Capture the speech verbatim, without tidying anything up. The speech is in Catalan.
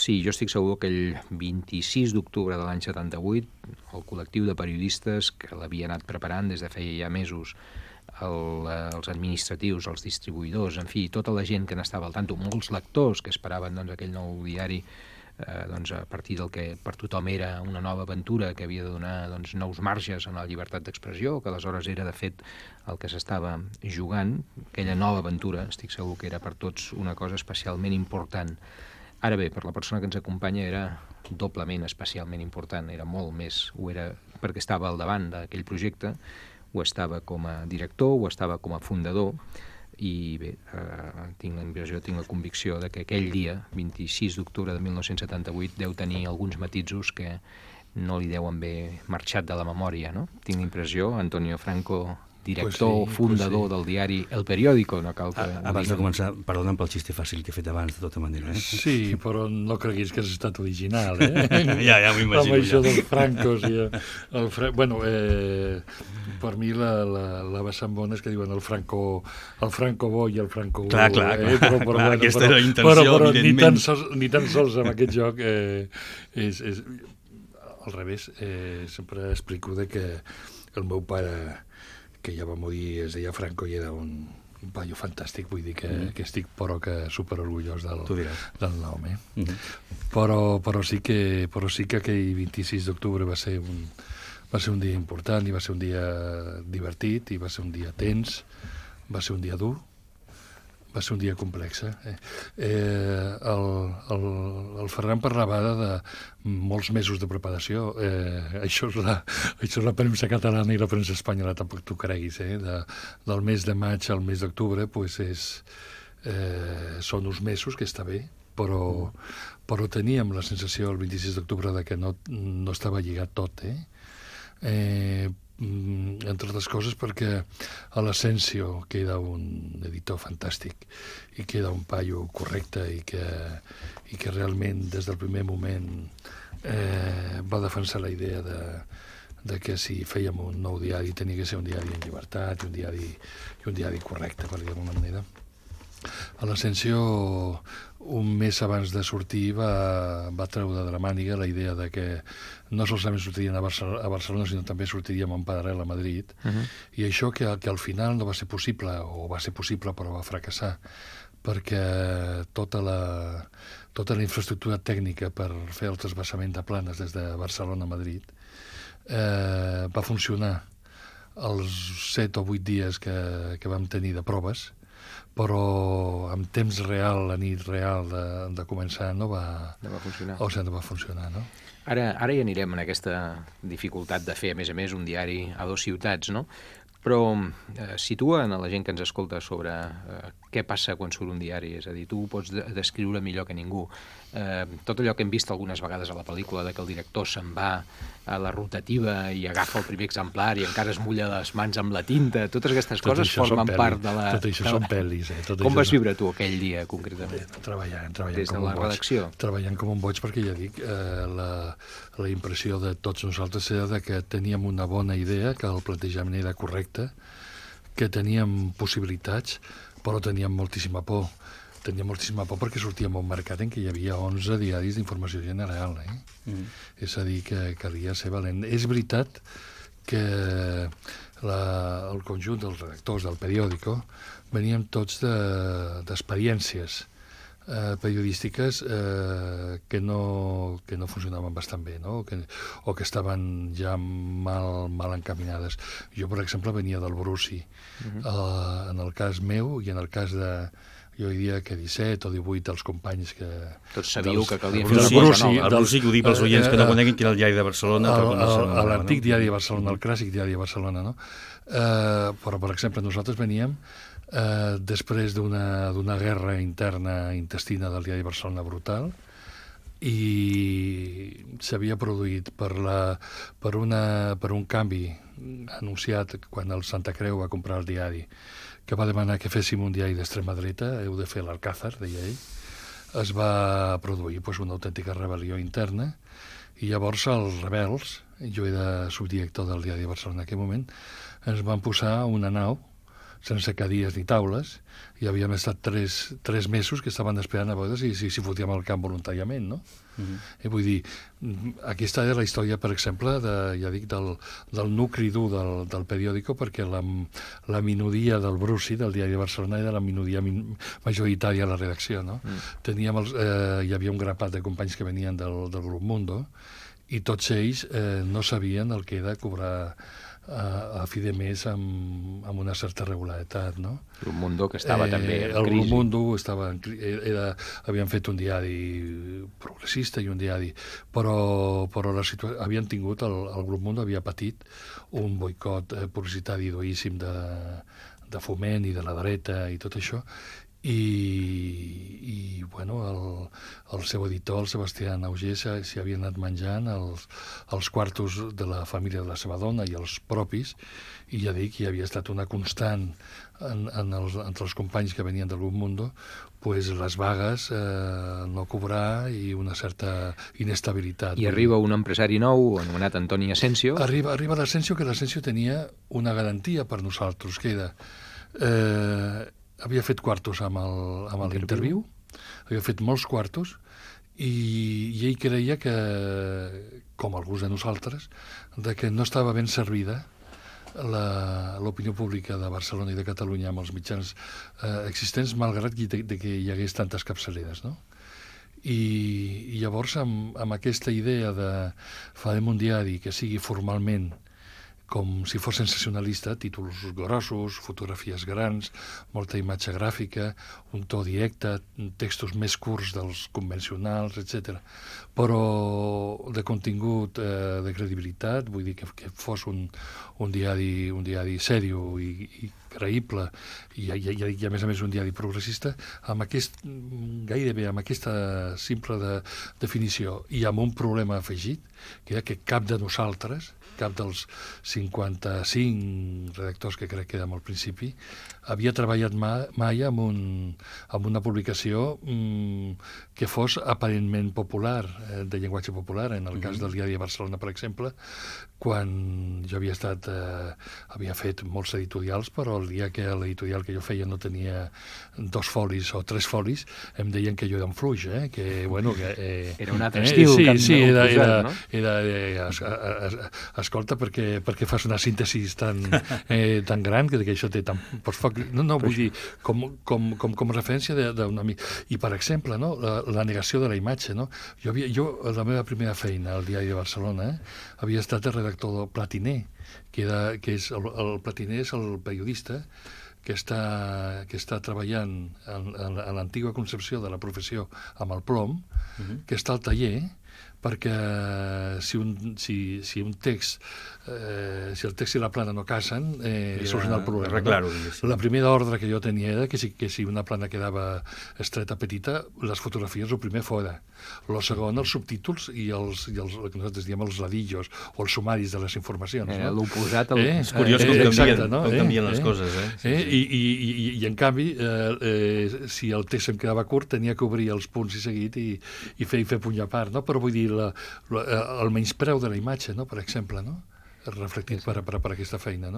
Sí, jo estic segur que el vint-i-sis d'octubre de l'any setanta-vuit el col·lectiu de periodistes que l'havia anat preparant des de feia ja mesos, el, els administratius, els distribuïdors, en fi, tota la gent que n'estava al tanto, molts lectors que esperaven doncs, aquell nou diari eh, doncs, a partir del que per tothom era una nova aventura que havia de donar doncs, nous marges en la llibertat d'expressió, que aleshores era de fet el que s'estava jugant, aquella nova aventura, estic segur que era per tots una cosa especialment important. Ara bé, per la persona que ens acompanya era doblement especialment important, era molt més, ho era perquè estava al davant d'aquell projecte, ho estava com a director, ho estava com a fundador, i bé, eh, tinc la impressió, tinc la convicció de que aquell dia, vint-i-sis d'octubre de mil nou-cents setanta-vuit, deu tenir alguns matisos que no li deuen haver marxat de la memòria, no? Tinc la impressió, Antonio Franco, director, pues sí, fundador pues sí. del diari El Periódico, no cal que... A, abans de començar, perdona'm pel xiste fàcil que he fet abans, de tota manera. Eh? Sí, però no creguis que has estat original, eh? ja, ja m'ho imagino. Amb això ja. dels francos i el Fra... Bueno, eh, per mi la, la, la vessant bona és que diuen el franco, el franco bo i el franco... Clar, clar, clar, eh? però, però, clar bueno, aquesta però, era la intenció, però, però, evidentment. Ni tan sols, ni tan sols amb aquest joc eh, és, és... Al revés, eh, sempre explico de que el meu pare, que ja va morir, es deia Franco i era un, un paio fantàstic, vull dir que, mm. que estic però que superorgullós del, del nom, eh? Mm -hmm. però, però, sí que, però sí que aquell vint-i-sis d'octubre va ser un va ser un dia important i va ser un dia divertit i va ser un dia tens, va ser un dia dur, va ser un dia complex. Eh? Eh, el, el, el Ferran parlava de molts mesos de preparació. Eh, això, és la, això és la premsa catalana i la premsa espanyola, tampoc t'ho creguis. Eh? De, del mes de maig al mes d'octubre pues és, eh, són uns mesos que està bé, però, però teníem la sensació el vint-i-sis d'octubre de que no, no estava lligat tot. Eh? Eh, entre altres coses perquè a l'Asensio, que era un editor fantàstic i que era un paio correcte i que, i que realment des del primer moment eh, va defensar la idea de, de que si fèiem un nou diari tenia que ser un diari en llibertat i un diari, i un diari correcte, per dir d'alguna manera. A l'Asensio, un mes abans de sortir, va, va treure de la màniga la idea de que no solament sortirien a Barcelona, a Barcelona sinó també sortiríem en paral·lel a Madrid, uh -huh. i això que, que al final no va ser possible, o va ser possible però va fracassar, perquè tota la, tota la infraestructura tècnica per fer el trasbassament de planes des de Barcelona a Madrid eh, va funcionar els set o vuit dies que, que vam tenir de proves, però en temps real, la nit real de, de començar no va, no va funcionar. O sigui, no va funcionar, no? Ara, ara ja anirem en aquesta dificultat de fer, a més a més, un diari a dues ciutats, no? Però eh, situen a la gent que ens escolta sobre eh, què passa quan surt un diari, és a dir, tu ho pots de descriure millor que ningú. Eh, tot allò que hem vist algunes vegades a la pel·lícula, de que el director se'n va a la rotativa i agafa el primer exemplar i encara es mulla les mans amb la tinta, totes aquestes tot coses formen part de la... Tot això són pel·lis, eh? Tot Com això vas són... viure tu aquell dia, concretament? Treballant, treballant Des de com la un boig. redacció? Treballant com un boig, perquè ja dic, eh, la, la impressió de tots nosaltres era de que teníem una bona idea, que el plantejament era correcte, que teníem possibilitats, però teníem moltíssima por. Teníem moltíssima por perquè sortíem a un mercat en què hi havia onze diaris d'informació general. Eh? Mm. És a dir, que calia ser valent. És veritat que la, el conjunt dels redactors del periòdico veníem tots d'experiències de, eh, periodístiques eh, que, no, que no funcionaven bastant bé, no? que, o que estaven ja mal, mal encaminades. Jo, per exemple, venia del Bruci. Uh-huh. eh, en el cas meu i en el cas de jo diria que disset o divuit dels companys que... Tots sabíeu que calia fer una cosa nova. El Bruci, que ho dic pels oients que no coneguin, que era el diari de Barcelona. L'antic diari de Barcelona, el clàssic diari de Barcelona, no? Eh, però, per exemple, nosaltres veníem eh, després d'una guerra interna intestina del diari de Barcelona brutal, i s'havia produït per, la, per, una, per un canvi anunciat quan el Santa Creu va comprar el diari, que va demanar que féssim un diari d'extrema dreta, heu de fer l'Alcázar, deia ell. Es va produir pues, una autèntica rebel·lió interna, i llavors els rebels, jo era subdirector del diari de Barcelona en aquell moment, ens van posar una nau sense cadires ni taules, i havíem estat tres, tres mesos que estaven esperant a veure si, si, si fotíem al camp voluntàriament, no? Uh-huh. I vull dir, aquesta és la història, per exemple, de, ja dic, del, del nucli dur del, del periòdico, perquè la, la minoria del Bruci, del Diari de Barcelona, era la minoria min, majoritària a la redacció, no? Uh-huh. Teníem els, eh, hi havia un grapat de companys que venien del, del grup Mundo, i tots ells eh, no sabien el que era cobrar a, a fi de mes amb, amb una certa regularitat, no? El Mundo, que estava eh, també en el crisi. El Mundo estava en, era, havien fet un diari progressista i un diari, però, però la situa- havien tingut, el, el Grup Mundo havia patit un boicot eh, publicitari duríssim de, de Foment i de la dreta i tot això, i, i bueno, el, el seu editor, el Sebastià Auger, s'hi havia anat menjant els, els quartos de la família de la seva dona i els propis, i ja dic, hi havia estat una constant en, en els, entre els companys que venien del Grup Mundo, pues les vagues, eh, no cobrar i una certa inestabilitat. I arriba un empresari nou, anomenat Antoni Asensio. Arriba, arriba l'Asensio, que l'Asensio tenia una garantia per nosaltres, que era... Eh, havia fet quartos amb l'Interviu, havia fet molts quartos, i, i ell creia que, com alguns de nosaltres, de que no estava ben servida l'opinió pública de Barcelona i de Catalunya amb els mitjans eh, existents, malgrat que, de, de que hi hagués tantes capçaleres, no? I, i llavors, amb, amb aquesta idea de farem un diari que sigui formalment com si fos sensacionalista, títols grossos, fotografies grans, molta imatge gràfica, un to directe, textos més curts dels convencionals, etcètera. Però de contingut, eh, de credibilitat, vull dir que, que fos un, un diari, un diari sèrio i, i creïble, i, i, i, i a més a més un diari progressista, amb aquest, gairebé amb aquesta simple de, definició, i amb un problema afegit, que era que cap de nosaltres, cap dels cinquanta-cinc redactors que crec que érem al principi, havia treballat mai, mai amb, un, amb una publicació mm, que fos aparentment popular, eh, de llenguatge popular, en el mm-hmm. cas del Diari de Barcelona, per exemple, quan jo havia estat, eh, havia fet molts editorials, però el dia que l'editorial que jo feia no tenia dos folis o tres folis, em deien que jo era un fluix, eh? Que, bueno, que, eh, era un altre estil. Eh, sí, que sí, era, posat, era, no? era, era es, es, es, escolta, perquè, perquè fas una síntesi tan, eh, tan gran, que, que això té tan... Pots foc, no, no, vull dir, com, com, com, com referència d'un amic. I, per exemple, no, la, la negació de la imatge, no? Jo, havia, jo, la meva primera feina al Diari de Barcelona, eh, havia estat el redactor del Platiner, que, era, que és el, el Platiner és el periodista que està, que està treballant en, en, en l'antiga concepció de la professió amb el plom, uh-huh. que està al taller, perquè si un, si, si un text, eh, si el text i la plana no casen, eh, soluciona el problema. Arreglar-ho, no? La primera ordre que jo tenia era que si, que si una plana quedava estreta, petita, les fotografies el primer fora. El segon, els subtítols i els, i els el que nosaltres diem els ladillos o els sumaris de les informacions. Eh, no? L'oposat... El... Eh? És curiós com, eh, canvien, exacte, no? com canvien eh? les coses. Eh? Sí, eh? sí. I, i, i, I, en canvi, eh, eh, si el text em quedava curt, tenia que obrir els punts i seguit i, i fer, i fer puny a part, no? Però vull dir, la, la, el menyspreu de la imatge, no? Per exemple, no? Reflectit per, per, per aquesta feina, no?